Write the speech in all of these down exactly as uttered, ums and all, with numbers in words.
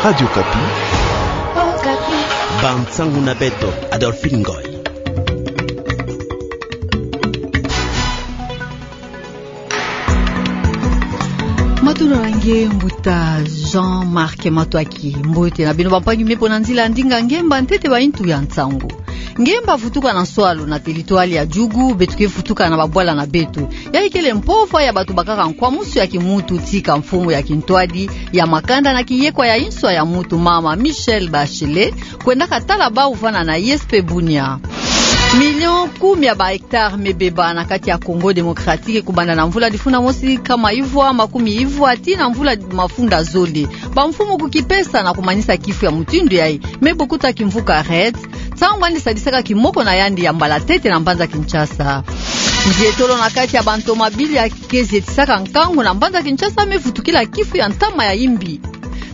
Radio Okapi. Bansangu na beto, Adolphine Ngoy. Matondo na nge mbuta Jean-Marc Matoaki. Mbote na beno bampangi me mpo na nzila ya ndinga ngemba ntete ba intu ya nsangu. Ngemba vutuka na nswalu na territoire ya Djugu, beto ke vutuka na babwala na beto. Yayi kele mpova ya bato bakaka nkwamusu ya kimuntu tika mfumu ya kintwadi ya makanda na kiyekwa ya inswa ya muntu, mama Michelle Bachelet, kwendaka tala bau vana na I S P Bunia. Million kumi ya ba hectares me beba na kati ya Congo Démocratique kobanda na mvula difuna mosi nkama ivwa makumi ivwa tii na mvula mafunda zole. Bamfumu kukipesa na kumanisa kifu ya mutindu yayi, me bokuta kimvuka REDD, ntangu yandi sadisaka kimoko na yandi ya mbala ntete na mbanza Kinshasa. Nzietolo na kati ya bantomabili ya ke zietisaka nkangu na mbanza Kinshasa me vutukila kifu ya ntama ya imbi.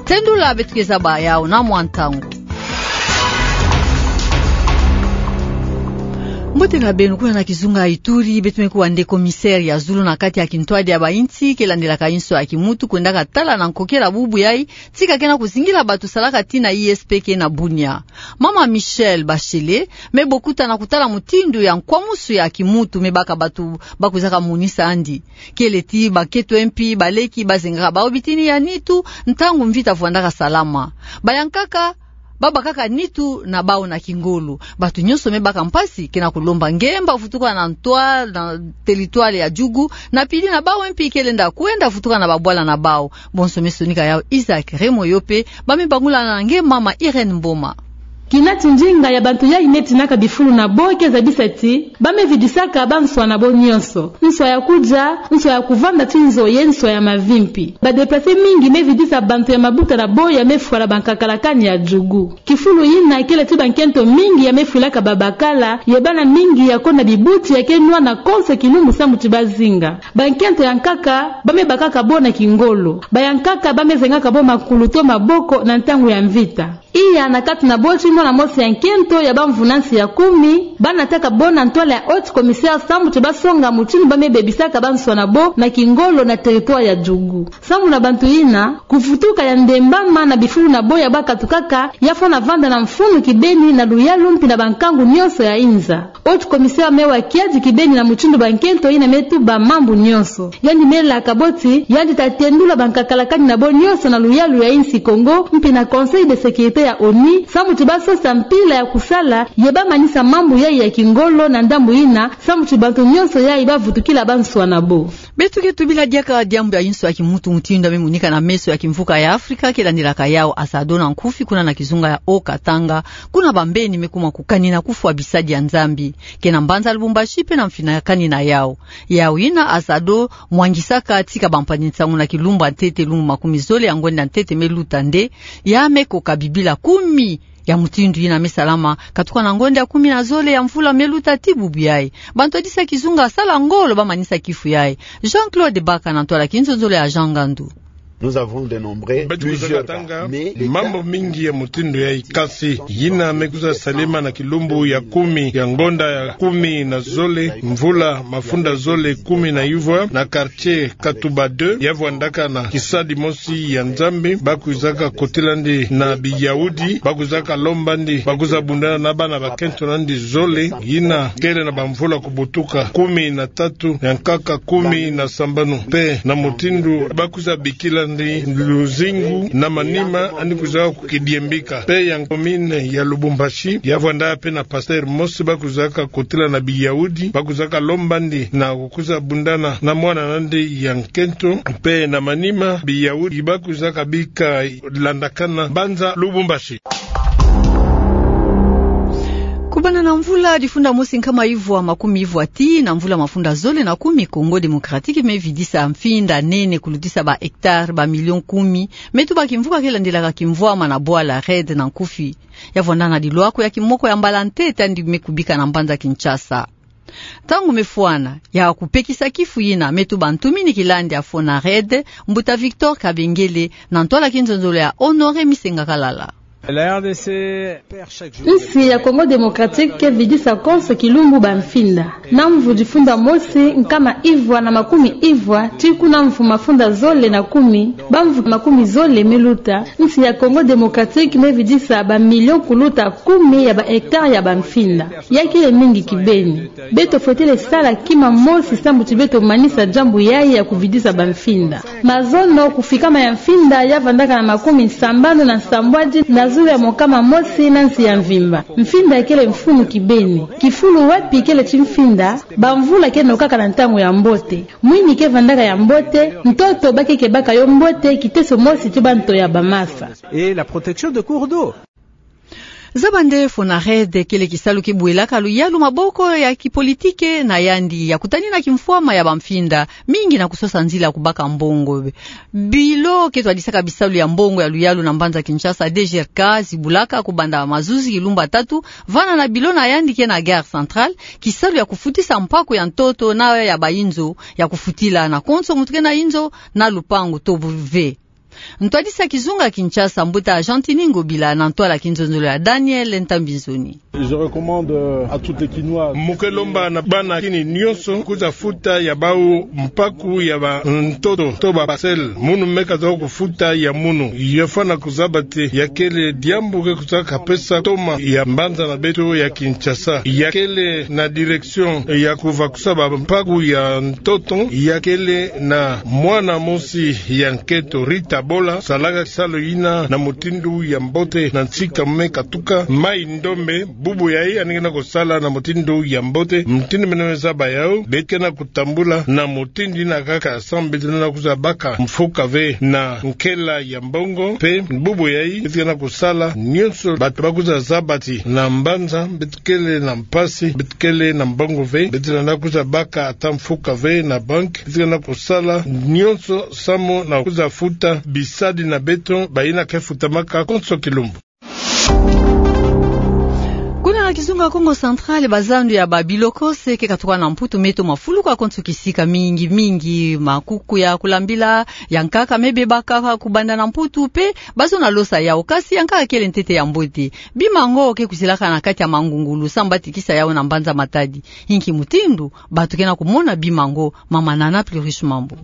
Tendula, beto ke zaba yau na mwa ntangu. Mbote na beno. Kuna na kizunga ya Ituri, beto me kuwa nde commissaire ya zulu na kati ya kintwadi ya bainsi ke landelaka inswa ya kimuntu kwendaka tala na nkokela bubu yayi, tika ke na kuzingila bato salaka tii na I S P ke na Bunia. Mama Michelle Bachelet me bokuta na kutala mutindu ya nkwamusu ya kimuntu me baka bato bakwizaka monisa yandi. Kele tii bankento mpi baleki bazengaka bau bitini ya nitu ntangu mvita vwandaka salama. Bayankaka babakaka nitu na bau na kingolo. Bato nyonso me baka mpasi ke na kulomba ngemba vutuka na ntwa na territoire ya Djugu, na pili na bau mpi ke lenda kwenda vutuka na babwala na bau. Bonso me sonika yau Isaac Remoyo, mpe ba me bangula na nge mama Irène Mboma. Kina tindinga ya bato yayi me tinaka bifulu na bo ke zabisa ti ba me vidisaka banswa na bo nyonso. Nswa ya kudia, nswa ya kuvanda ti nzo ye nswa ya mavi mpi. Ba déplacés mingi me vidisa bato ya mabuta na bo ya me fwala bankakalakani ya Djugu. Kifulu yina kele ti bankento mingi ya me fwilaka babakala, ye bana mingi ya kô na bibuti ya ke nwana konso kilumbu samu ti bazinga. Bankento ya nkaka ba me bakaka bo na kingolo. Bayankaka ba me zengaka bo makulu to maboko na ntangu ya mvita. Iya na kati na bo ti mwana mosi ya nkento ya bamvunansi ya kumi, ba nataka bo na ntwala ya haut commissaire samu ti basonga mutindu ba me bebisaka banswa na bo na kingolo na territoire ya Djugu. Samu na bato yina, kuvutuka ya ndembama na bifulu na bo ya bakatukaka ya fwana vanda na mfunu kibeni na luyalu mpi na bankangu nyonso ya inza. Haut commissaire me wa kiadi kibeni na mutindu bankento yina me tuba mambu nyonso. Yandi me laka bo ti yandi ta tendula bankakalakani na bo nyonso na luyalu ya insi Congo mpi na Conseil de sécurité ya ONU samu ti basosa mpila ya kusala ye bamanisa mambu yayi ya kingolo na ndambu yina samu ti bato nyonso yayi bavutukila banswa na bo. Beto ke tubila diaka diambu ya inswa ya kimuntu mutindu ya me monika na meso ya kimvuka ya Afrika ke landelaka yau ASADHO na nkufi kuna na kizunga ya Haut-Katanga, kuna bambeni me kuma kukanina kufwa bisadi ya Nzambi, ke na mbanza Lubumbashi mpe na mfinakani na yau. Yau yina ASADHO mwangisaka tika bampangi-nsangu na kilumbu ya ntete, lumbu makumi zole ya ngonda ya ntete me luta nde, ya me koka bibila kumi ya mutindu yina me salama katuka na ngonda ya kumi na zole ya mvula me luta tii bubu yayi. Bato ya disa kizunga sala ngolo bamanisa kifu yayi. Jean-Claude Baka na ntwala kinzonzolo ya Jean Ngandu. Beto kwiza katanga mambu mingi ya mutindu yayi, kasi yina me kwiza salema na kilumbu ya kumi ya ngonda ya kumi na zole mvula mafunda zole kumi na ivwa na quartier Katuba deux, ya vwandaka na kisadi mosi ya Nzambi, ba kwizaka kotila ndi na biyawudi, ba kwizaka lomba ndi ba kwiza bundana na bana bakento na ndi zole, yina kele na bamvula kubutuka kumi na tatu ya nkaka kumi na sambanu. Mpe na mutindu ba kwiza bikila ndi luzingu na manima, yandi kwizaka kukidiembika. Mpe ya commune ya Lubumbashi, ya vwanda mpe na pasteur mosi, ba kwizaka kotila na biyawudi, ba kwizaka lomba ndi na kwiza bundana na mwana na ndi ya nkento, mpe na manima biyawudi ba kwizaka bika landakana mbanza Lubumbashi. Kubanda na mvula difunda mosi nkama ivwa makumi ivwa tii na mvula mafunda zole na kumi, Congo Démocratique me vidisa mfinda nene kulutisa ba hectares ba millions kumi, me tuba kimvuka ke landelaka kimvwama na bwala REDD na nkufi. Ya vwanda na dilwako ya kimoko ya mbala ntete yandi me kubika na mbanza Kinshasa. Ntangu me fwana ya kupekisa kifu yina, me tuba ntumini kilandi ya FONAREDD, mbuta Victor Kabengele, na ntwala kinzonzolo ya Honoré Misenga Kalala. La R D C. Nsi ya Congo Démocratique ke vidisa konso kilumbu bamfinda. Na mvu difunda mosi nkama ivwa na makumi ivwa, tii kuna mvu mafunda zole na kumi, bamvu makumi zole me luta, nsi ya Congo Démocratique me vidisa bamilio kuluta kumi ya bahectare ya bamfinda. Ya kele mingi kibeni. Beto fwetele sala kima mosi sambu ti beto manisa diambu yayi ya kuvidisa bamfinda. Mazono, kufikama ya mfinda ya vandaka na makumi sambanu na nsambwadi na zulu ya mokama mosi na nsi ya mvimba. Mfinda kele mfunu kibeni. Kifulu wapi kele ti mfinda, bamvula ke nokaka na ntangu ya mbote. Mwini ke vandaka ya mbote, ntoto ba ke kebaka yo mbote, kiteso mosi ti banto ya bamasa. Et la protection de cours d'eau. Zaba nde FONAREDH kele kisalu ki bwelaka luyalu maboko ya kipolitike na yandi ya kutanina kimfwama ya bamfinda mingi na kusosa nzila ya kubaka mbongo. Bilo ke twadisaka bisalu ya mbongo ya luyalu na mbanza Kinshasa, D G R K, zibulaka kubanda mazuzi kilumbu tatu, vana na bilo na yandi ke na Gare Centrale, kisalu ya kufutisa mpaku ya ntoto na ya bayinzo ya kufutila na konso muntu ke na inzo na lupangu to bu ve. Ntwadisi ya kizunga Kinshasa, mbuta Gentiny Ngobila, na ntwala kinzonzolo ya Daniel Ntambi Nzoni. Je recommande, euh, à toutes les Kinois. Mu ke lomba na bana Kin nyonso kwiza futa ya bau mpaku ya bantoto to ba parcelle. Munu me kwiza kufuta ya munu. Yo fwana kuzaba ti ya kele diambu ke kwiza kapesa ntoma ya mbanza na beto ya Kinshasa. Ya kele na direction ya kuvakusa bampaku ya ntoto, ya kele na mwana mosi ya nkento, Rita Bola, salaka kisalu yina na mutindu ya mbote na nsi kame katuka, Mai Ndombe, bubu yayi yandi ke na kusala na mutindu ya mbote. Mutindu mene me zaba yau, beto ke na kutambula na mutindu yina kaka, sambu beto lenda kwiza baka mfuka ve na nkela ya mbongo, mpe bubu yayi beto ke na kusala nyonso, bantu ba kwiza zaba ti na mbanza beto kele na mpasi, beto kele na mbongo ve, beto lenda kwiza baka ata mfuka ve na banki, beto ke na kusala nyonso samu na kwiza futa bisadi na beto, bayina ke futamaka konso kilumbu. Kuna na kizunga Kongo Central, bazandu ya babilokose ke katuka na Mputu me toma fuluka konso kisika, mingi mingi makuku ya kulambila ya nkaka me bebaka kubanda na Mputu, mpe bazo na losa yau, kasi ya nkaka kele ntete ya mbote. Bima yango ke kwizilaka na kati ya mangungulu, samu ba tekisa yau na mbanza Matadi. Inki mutindu bantu ke na kumona bima yango? Mama Nana Plurish Mambu.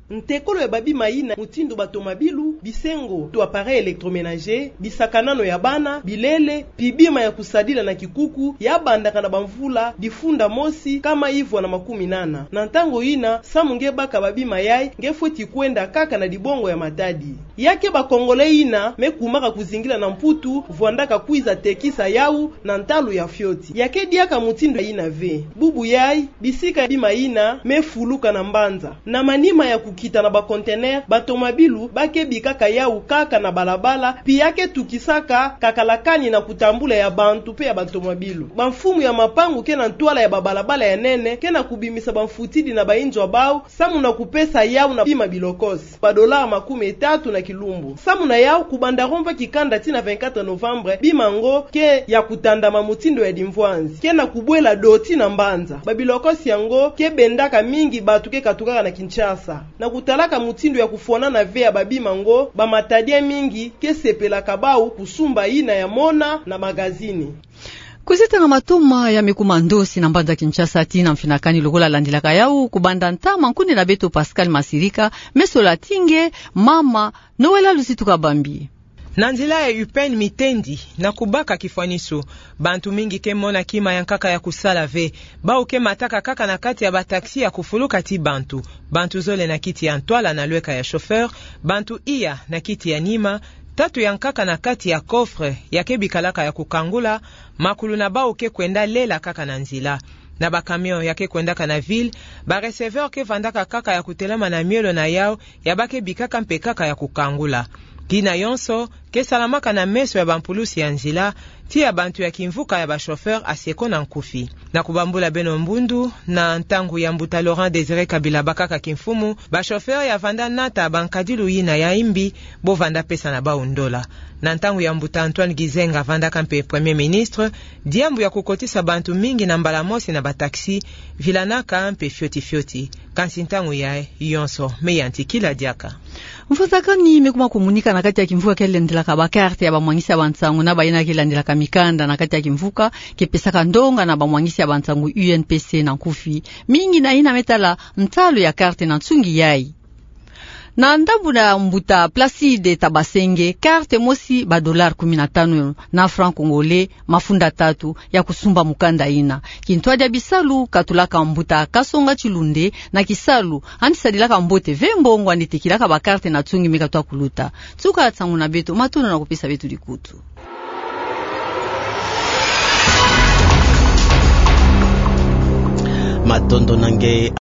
Ntekolo ya babima yina, mutindu batomabilu, bisengo to appareil électroménager, bisakanano ya bana, bilele, mpi bima ya kusadila na kikuku, ya bandaka na bamvula difunda mosi nkama ivwa na makumi nana. Na ntangu yina, samu nge baka babima yayi, nge fweti kwenda kaka na dibongo ya Matadi. Ya ke ba Congolais yina me kumaka kuzingila na Mputu, vwandaka kwiza tekisa yau na ntalu ya fioti. Ya ke diaka mutindu yina ve. Bubu yayi, bisika ya bima yina me fuluka na mbanza. Na manima ya kukita na ba conteneurs, batomabilu ba ke bikaka yau kaka na balabala, mpi ya ke tukisaka kakalakani na kutambula ya bantu mpe ya batomabilu. Bamfumu ya mapangu ke na ntwala ya babalabala ya nene ke na kubimisa bamfutidi na bainzo ya bau, samu na kupesa yau na bima bilokose ba dollars makumi tatu na kilumbu. Samu na yau, kubanda rond-point Kikanda tii na vingt-quatre novembre, bima yango ke ya kutandama mutindu ya dimvwanzi, ke na kubwela doti na mbanza. Babilokose yango ke bendaka mingi bantu ke katukaka na Kinshasa. Na kutalaka mutindu ya kufwanana ve ya babima yango, ba Matadiens mingi ke sepelaka bau kusumba yina ya mona na magazini. Kwizitanga matoma ya me kuma ndosi na mbanza Kinshasa tii na mfinakani lokola landilaka yau kubanda ntama. Nkundi na beto Pascal Masirika me sola ti nge, mama Noëlla Luzitu Kabambi. Na nzila ya U P N mitendi na kubaka kifwaniso, bantu mingi ke mona kima ya nkaka ya kusala ve. Bau ke mataka kaka na kati ya ba taxi ya kufuluka ti bantu, bantu zole na kiti ya ntwala na lweka ya chauffeur, bantu iya na kiti ya nima, tatu ya nkaka na kati ya coffre ya ke bikalaka ya kukangula, makulu na bau ke kwenda lela kaka na nzila. Na ba camions ya ke kwendaka na ville, ba receveurs ke vandaka kaka ya kutelama na miolo na yau ya ba ke bikaka mpe kaka ya kukangula. Tina yonso ke salamaka na meso ya bampulusi ya nzila, tia bantu ya kimvuka ya ba chauffeur asi eko na nkufi. Na kubambula beno mbundu, na ntangu ya mbuta Laurent Désiré Kabila bakaka kimfumu, ba chauffeur ya vanda nata bankadilu yina ya imbi, bo vanda pesa na bau ndola. Na ntangu ya mbuta Antoine Gizenga vandaka mpe Premier Ministre, diambu ya kukotisa bantu mingi na mbala mosi na ba taxi, vilanaka mpe fioti fioti. Kansi ntangu yayi yonso me yantikila diaka. Mvuzakani me kuma kumunika na kati ya kimvuka ke landelaka ba carte ya ba mwangisi ya ba nsangu na bayina ke landelaka mikanda na kati ya kimvuka, ke pesaka ndonga na ba mwangisi ya ba nsangu U N P C na nkufi, mingi na yina me tala ntalu ya carte na nsungi yayi. Na ndambu na mbuta Placide Tabasenge, carte mosi ba dollars kumi na tanu na francs congolais mafunda tatu ya kusumba mukanda yina. Kintwadi ya bisalu katulaka mbuta Kasonga Chilunde na kisalu, yandi sadilaka mbote ve mbongo yandi tekilaka ba carte na nsungi me katwa kuluta. Nsuka nsangu na beto, matondo na kupesa beto dikutu. Matondo na nge